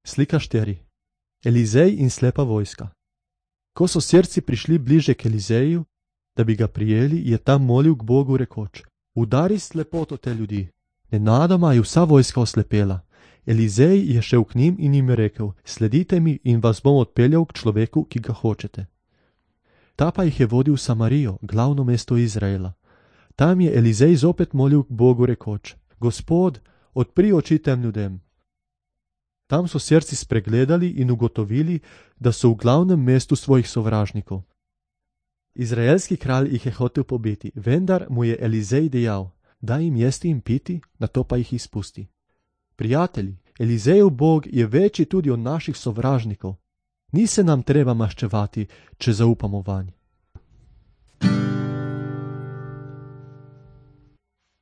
Slika 4. Elizej in slepa vojska. Ko so sirci prišli bliže k Elizeju, da bi ga prijeli, je tam molil k Bogu rekoč: Udari slepoto te ljudi. Nenadoma je vsa vojska oslepela. Elizej je šel k njim in jim je rekel: Sledite mi in vas bom odpeljal k človeku, ki ga hočete. Ta pa jih je vodil v Samarijo, glavno mesto Izraela. Tam je Elizej zopet molil k Bogu rekoč: Gospod, odpri oči tem ljudem. Tam so sirci spregledali in ugotovili, da so v glavnem mestu svojih sovražnikov. Izraelski kralj jih je hotel pobiti, vendar mu je Elizej dejal: Daj jim jesti in piti, nato pa jih izpusti. Prijatelji, Elizejev Bog je večji tudi od naših sovražnikov. Ni se nam treba maščevati, če zaupamo vanj.